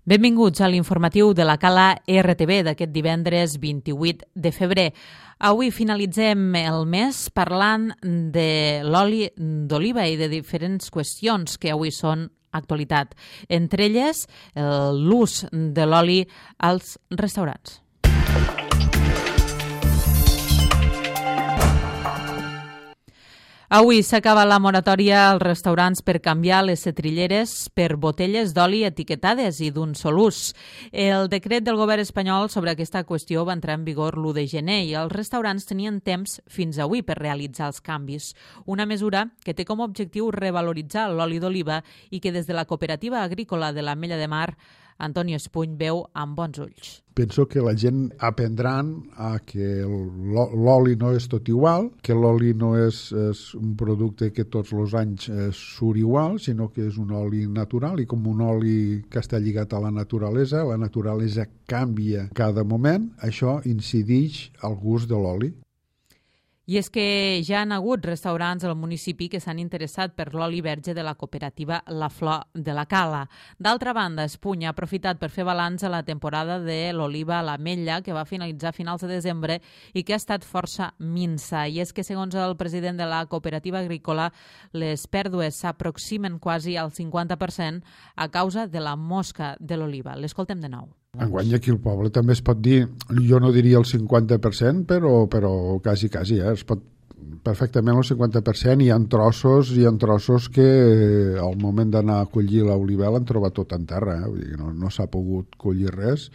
Benvinguts a l'informatiu de la Cala RTV d'aquest divendres 28 de febrer. Avui finalitzem el mes parlant de l'oli d'oliva i de diferents qüestions que avui són actualitat. Entre elles, l'ús de l'oli als restaurants. Avui s'acaba la moratòria als restaurants per canviar les setrilleres per botelles d'oli etiquetades i d'un sol ús. El decret del govern espanyol sobre aquesta qüestió va entrar en vigor l'1 de gener i els restaurants tenien temps fins avui per realitzar els canvis. Una mesura que té com a objectiu revaloritzar l'oli d'oliva i que des de la Cooperativa Agrícola de l'Ametlla de Mar Antonio Espuny veu amb bons ulls. Penso que la gent aprendran a que l'oli no és tot igual, que l'oli no és un producte que tots els anys surt igual, sinó que és un oli natural i com un oli que està lligat a la naturalesa canvia cada moment, això incideix al gust de l'oli. I és que ja han hagut restaurants al municipi que s'han interessat per l'oli verge de la cooperativa La Flor de la Cala. D'altra banda, Espuny ha aprofitat per fer balanç a la temporada de l'oliva a l'Ametlla, que va finalitzar a finals de desembre i que ha estat força minsa. I és que, segons el president de la cooperativa agrícola, les pèrdues s'aproximen quasi al 50% a causa de la mosca de l'oliva. L'escoltem de nou. Enguany aquí al poble també es pot dir, jo no diria el 50%, però quasi, es pot perfectament el 50%, hi ha trossos que al moment d'anar a collir l'oliva l'han trobat tot en terra, vull dir, no s'ha pogut collir res,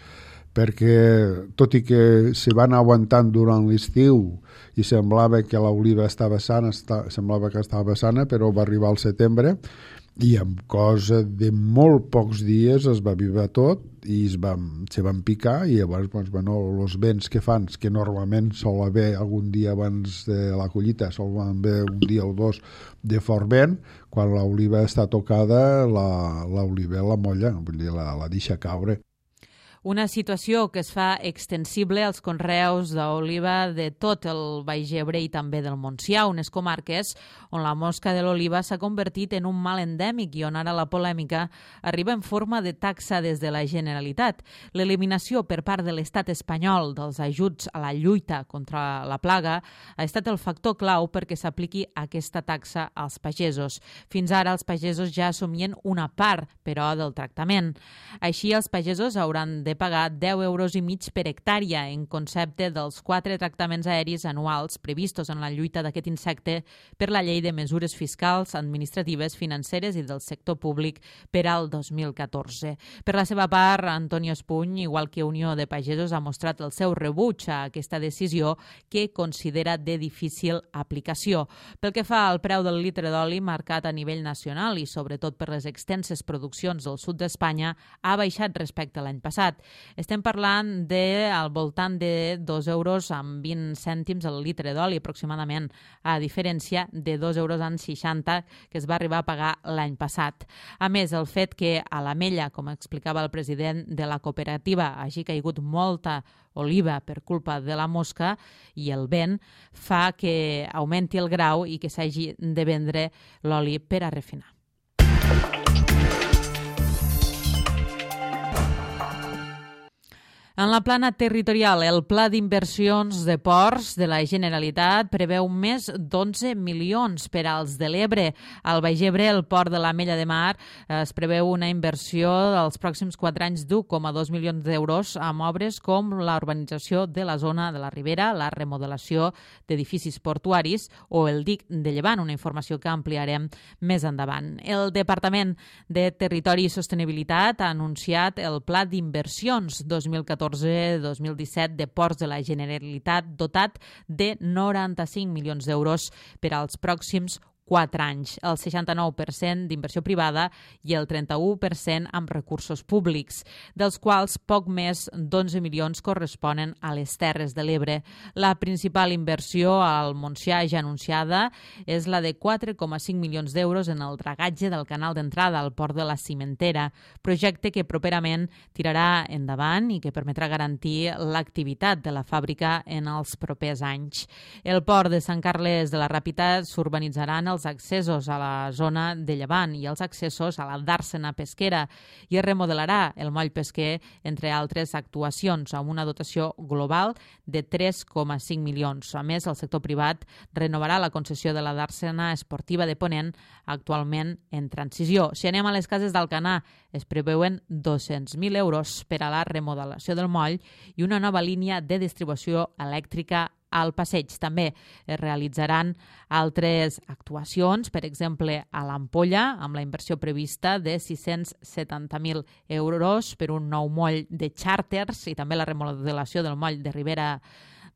perquè tot i que se van aguantant durant l'estiu i semblava que l'oliva estava sana, però va arribar al setembre i amb cosa de molt pocs dies es va vivar tot i se van picar i llavors els vents que fan, que normalment sol haver algun dia abans de la collita, sol haver un dia o dos de fort vent, quan l'oliva està tocada l'oliva la molla, vull dir, la deixa caure. Una situació que es fa extensible als conreus d'oliva de tot el Baix Ebre i també del Montsià, unes comarques on la mosca de l'oliva s'ha convertit en un mal endèmic i on ara la polèmica arriba en forma de taxa des de la Generalitat. L'eliminació per part de l'estat espanyol dels ajuts a la lluita contra la plaga ha estat el factor clau perquè s'apliqui aquesta taxa als pagesos. Fins ara els pagesos ja assumien una part, però, del tractament. Així, els pagesos hauran de pagar 10,5 euros per hectàrea en concepte dels 4 tractaments aèris anuals previstos en la lluita d'aquest insecte per la Llei de Mesures Fiscals, Administratives, Financeres i del Sector Públic per al 2014. Per la seva part, Antonio Espuny, igual que Unió de Pagesos, ha mostrat el seu rebuig a aquesta decisió que considera de difícil aplicació. Pel que fa al preu del litre d'oli marcat a nivell nacional i sobretot per les extenses produccions del sud d'Espanya, ha baixat respecte a l'any passat. Estem parlant al voltant de 2,20 euros el litre d'oli aproximadament, a diferència de 2,60 euros que es va arribar a pagar l'any passat. A més, el fet que a l'Ametlla, com explicava el president de la cooperativa, hagi caigut molta oliva per culpa de la mosca i el vent, fa que augmenti el grau i que s'hagi de vendre l'oli per a refinar. En la plana territorial, el Pla d'Inversions de Ports de la Generalitat preveu més d'11 milions per als de l'Ebre. Al Baix Ebre, el port de l'Ametlla de Mar, es preveu una inversió dels pròxims 4 anys d'1,2 milions d'euros amb obres com la urbanització de la zona de la Ribera, la remodelació d'edificis portuaris o el dic de Llevant, una informació que ampliarem més endavant. El Departament de Territori i Sostenibilitat ha anunciat el Pla d'Inversions 2014-2017 de Ports de la Generalitat dotat de 95 milions d'euros per als pròxims 4 anys, el 69% d'inversió privada i el 31% amb recursos públics, dels quals poc més d'11 milions corresponen a les Terres de l'Ebre. La principal inversió al Montsià ja anunciada és la de 4,5 milions d'euros en el dragatge del canal d'entrada al port de la Cimentera, projecte que properament tirarà endavant i que permetrà garantir l'activitat de la fàbrica en els propers anys. El port de Sant Carles de la Ràpita s'urbanitzaran els els accessos a la zona de Llevant i els accessos a la dàrsena pesquera i es remodelarà el moll pesquer, entre altres actuacions, amb una dotació global de 3,5 milions. A més, el sector privat renovarà la concessió de la dàrsena esportiva de Ponent, actualment en transició. Si anem a les cases d'Alcanar, es preveuen 200.000 euros per a la remodelació del moll i una nova línia de distribució elèctrica al passeig. També es realitzaran altres actuacions, per exemple, a l'Ampolla, amb la inversió prevista de 670.000 euros per un nou moll de xàrters i també la remodelació del moll de Ribera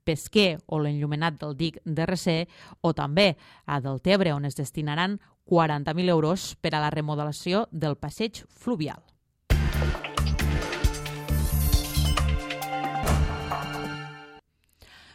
Pesquer o l'enllumenat del dic de Recer, o també a Deltebre, on es destinaran 40.000 euros per a la remodelació del passeig fluvial.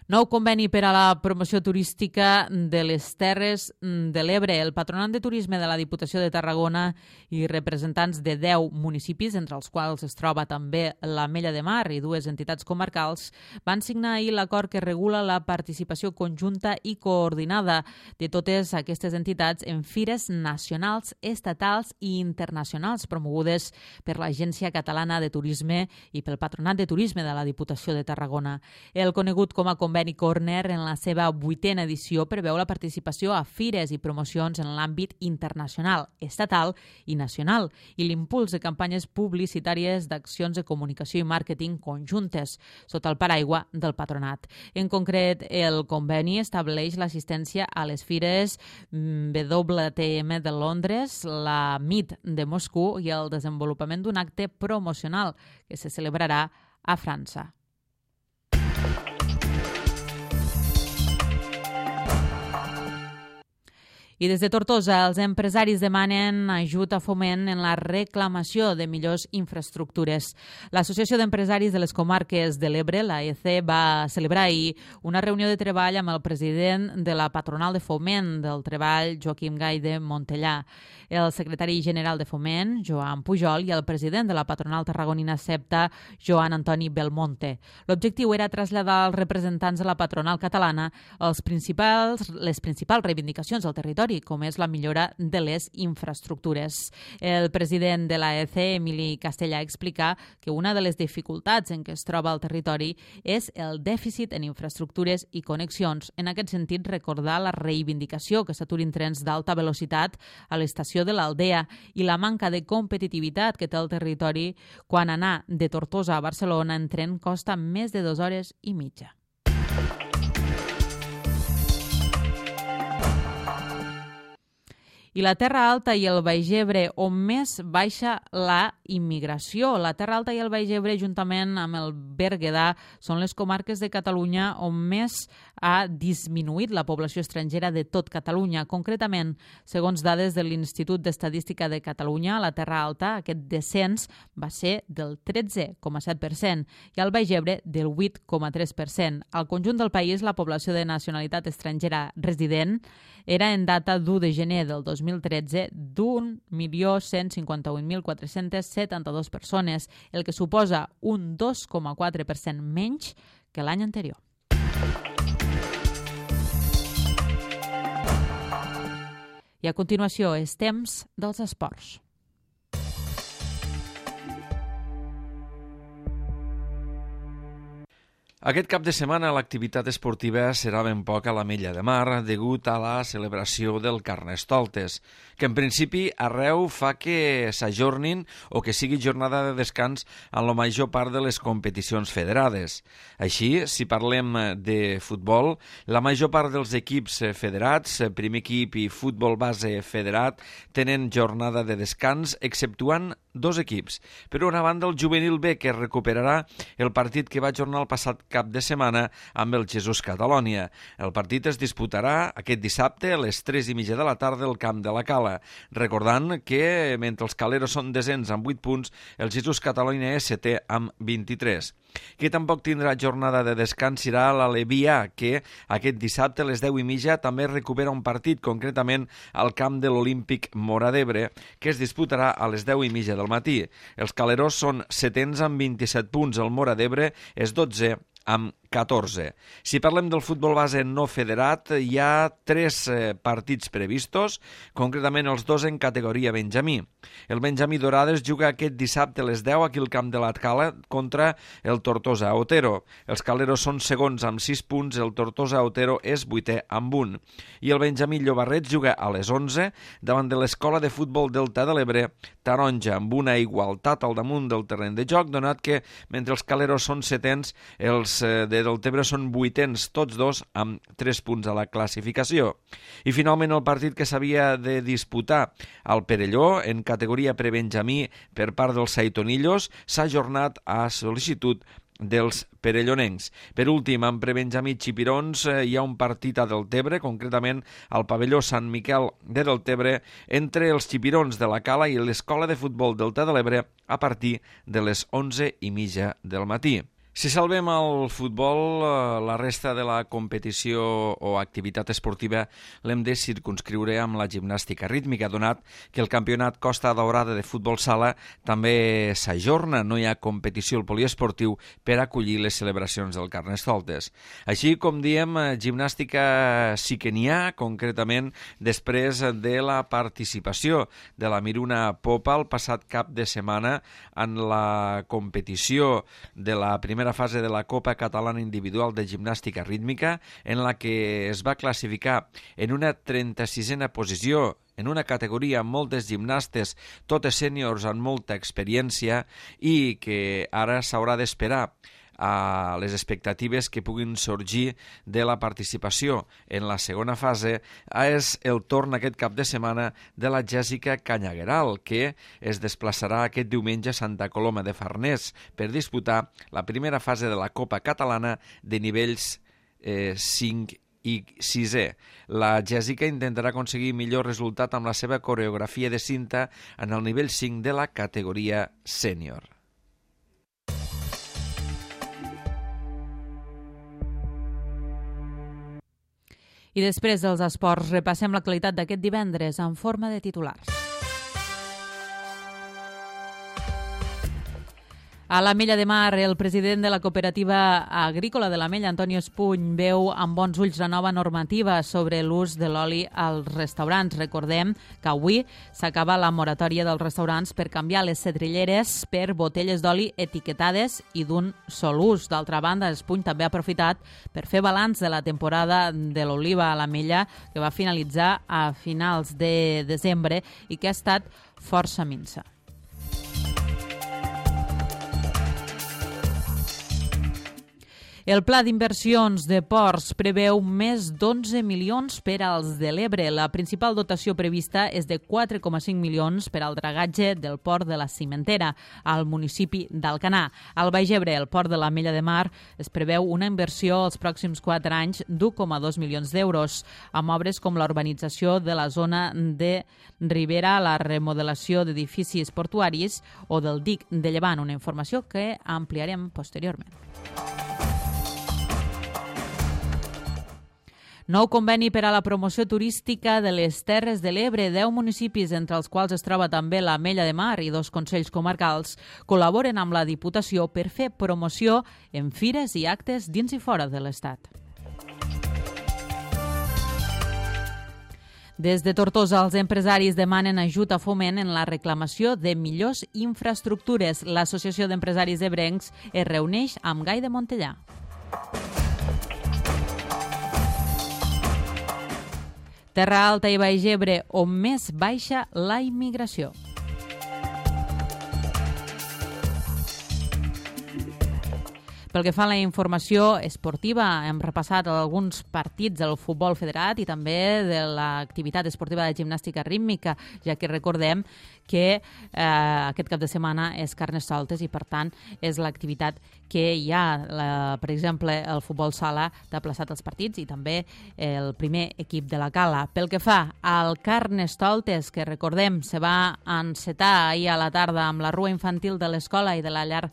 Nou conveni per a la promoció turística de les Terres de l'Ebre. El Patronat de Turisme de la Diputació de Tarragona i representants de 10 municipis, entre els quals es troba també l'Ametlla de Mar i 2 entitats comarcals, van signar ahir l'acord que regula la participació conjunta i coordinada de totes aquestes entitats en fires nacionals, estatals i internacionals promogudes per l'Agència Catalana de Turisme i pel Patronat de Turisme de la Diputació de Tarragona. El conegut com a conveni Corner, en la seva 8a edició, preveu la participació a fires i promocions en l'àmbit internacional, estatal i nacional i l'impuls de campanyes publicitàries d'accions de comunicació i màrqueting conjuntes sota el paraigua del patronat. En concret, el conveni estableix l'assistència a les fires WTM de Londres, la MIT de Moscou i el desenvolupament d'un acte promocional que se celebrarà a França. I des de Tortosa, els empresaris demanen ajut a Foment en la reclamació de millors infraestructures. L'Associació d'Empresaris de les Comarques de l'Ebre, l'AEC, va celebrar ahir una reunió de treball amb el president de la Patronal de Foment del Treball, Joaquim Gai de Montellà, el secretari general de Foment, Joan Pujol, i el president de la Patronal Tarragonina SEPTA, Joan Antoni Belmonte. L'objectiu era traslladar als representants de la patronal catalana les principals reivindicacions del territori, com és la millora de les infraestructures. El president de l'AEC, Emili Castellà, explica que una de les dificultats en què es troba el territori és el dèficit en infraestructures i connexions. En aquest sentit, recordar la reivindicació que s'aturin trens d'alta velocitat a l'estació de l'Aldea i la manca de competitivitat que té el territori quan anar de Tortosa a Barcelona en tren costa més de 2 hores i mitja. I la Terra Alta i el Baix Ebre, on més baixa la immigració. La Terra Alta i el Baix Ebre, juntament amb el Berguedà, són les comarques de Catalunya on més ha disminuït la població estrangera de tot Catalunya. Concretament, segons dades de l'Institut d'Estadística de Catalunya, a la Terra Alta aquest descens va ser del 13,7% i al Baix Ebre del 8,3%. Al conjunt del país, la població de nacionalitat estrangera resident era en data d'1 de gener del 2013 d'1.151.472 persones, el que suposa un 2,4% menys que l'any anterior. I a continuació és temps dels esports. Aquest cap de setmana l'activitat esportiva serà ben poc a l'Ametlla de Mar degut a la celebració del Carnestoltes, que en principi arreu fa que s'ajornin o que sigui jornada de descans en la major part de les competicions federades. Així, si parlem de futbol, la major part dels equips federats, primer equip i futbol base federat, tenen jornada de descans, exceptuant 2 equips. Per una banda, el Juvenil B, que recuperarà el partit que va ajornar el passat cap de setmana amb el Jesús Catalonia. El partit es disputarà aquest dissabte a les 3:30 de la tarda al camp de la Cala, recordant que mentre els caleros són desens amb 8 punts, el Jesús Catalonia és setè amb 23. Qui tampoc tindrà jornada de descans serà l'Alevià, que aquest dissabte a les 10:30 també recupera un partit, concretament al camp de l'Olímpic Móra d'Ebre, que es disputarà a les 10:30 del matí. Els caleros són setens amb 27 punts, el Móra d'Ebre és 12 amb 14. Si parlem del futbol base no federat, hi ha 3 partits previstos, concretament els 2 en categoria Benjamí. El Benjamí Dorades juga aquest dissabte a les 10 aquí al camp de l'Atcala contra el Tortosa Otero. Els caleros són segons amb 6 punts, el Tortosa Otero és 8è amb 1. I el Benjamí Llobarrets juga a les 11 davant de l'Escola de Futbol Delta de l'Ebre Taronja, amb una igualtat al damunt del terreny de joc, donat que mentre els caleros són 7ens, els de Deltebre són 8ens, tots dos amb 3 punts a la classificació. I finalment el partit que s'havia de disputar al Perelló en categoria prebenjamí per part dels Saitonillos s'ha ajornat a sol·licitud dels perellonencs. Per últim, en prebenjamí Xipirons hi ha un partit a Deltebre, concretament al pavelló Sant Miquel de Deltebre, entre els Xipirons de la Cala i l'Escola de Futbol Delta de l'Ebre a partir de les 11:30 del matí. Si salvem el futbol, la resta de la competició o activitat esportiva l'hem de circunscriure amb la gimnàstica rítmica, donat que el campionat Costa Daurada de futbol sala també s'ajorna, no hi ha competició al poliesportiu per acollir les celebracions del Carnestoltes. Així com diem, gimnàstica sí que n'hi ha, concretament després de la participació de la Miruna Popa el passat cap de setmana en la competició de la primera fase de la Copa Catalana Individual de Gimnàstica Rítmica, en la que es va classificar en una 36a posició en una categoria amb moltes gimnastes, totes sèniors amb molta experiència, i que ara s'haurà d'esperar a les expectatives que puguin sorgir de la participació en la segona fase. És el torn aquest cap de setmana de la Jèssica Canyagueral, que es desplaçarà aquest diumenge a Santa Coloma de Farners per disputar la primera fase de la Copa Catalana de nivells 5 i 6è. La Jèssica intentarà aconseguir millor resultat amb la seva coreografia de cinta en el nivell 5 de la categoria sènior. I després dels esports repassem l'actualitat d'aquest divendres en forma de titulars. A l'Ametlla de Mar, el president de la cooperativa agrícola de l'Ametlla, Antonio Espuny, veu amb bons ulls la nova normativa sobre l'ús de l'oli als restaurants. Recordem que avui s'acaba la moratòria dels restaurants per canviar les setrilleres per botelles d'oli etiquetades i d'un sol ús. D'altra banda, Espuny també ha aprofitat per fer balanç de la temporada de l'oliva a l'Ametlla, que va finalitzar a finals de desembre i que ha estat força minsa. El Pla d'Inversions de Ports preveu més d'11 milions per als de l'Ebre. La principal dotació prevista és de 4,5 milions per al dragatge del port de la Cimentera, al municipi d'Alcanar. Al Baix Ebre, el port de l'Ametlla de Mar, es preveu una inversió als pròxims 4 anys d'1,2 milions d'euros, amb obres com la urbanització de la zona de Ribera, la remodelació d'edificis portuaris o del dic de Llevant, una informació que ampliarem posteriorment. Nou conveni per a la promoció turística de les Terres de l'Ebre. 10 municipis, entre els quals es troba també l'Ametlla de Mar i 2 consells comarcals, col·laboren amb la Diputació per fer promoció en fires i actes dins i fora de l'Estat. Des de Tortosa, els empresaris demanen ajut a Foment en la reclamació de millors infraestructures. L'Associació d'Empresaris Ebrencs es reuneix amb Gai de Montellà. Terra Alta i Baix Ebre, on més baixa la immigració. Pel que fa a la informació esportiva, hem repassat alguns partits del futbol federat i també de l'activitat esportiva de gimnàstica rítmica, ja que recordem que aquest cap de setmana és Carnestoltes i, per tant, és l'activitat que hi ha. Per exemple, el futbol sala t'ha plaçat els partits i també el primer equip de la Cala. Pel que fa al Carnestoltes, que recordem se va encetar ahir a la tarda amb la rua infantil de l'escola i de la llar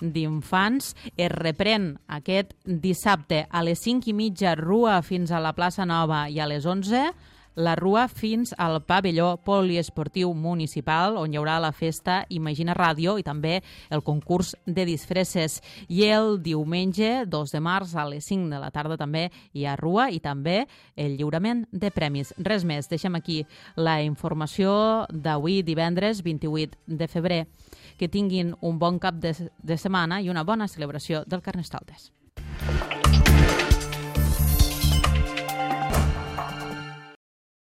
d'infants, es reprèn aquest dissabte a les 5:30 rua fins a la plaça Nova i a les 11 la Rua fins al pavelló poliesportiu municipal, on hi haurà la festa Imagina Ràdio i també el concurs de disfresses. I el diumenge 2 de març a les 5 de la tarda també hi ha Rua i també el lliurament de premis. Res més, deixem aquí la informació d'avui, divendres 28 de febrer. Que tinguin un bon cap de setmana i una bona celebració del Carnestoltes.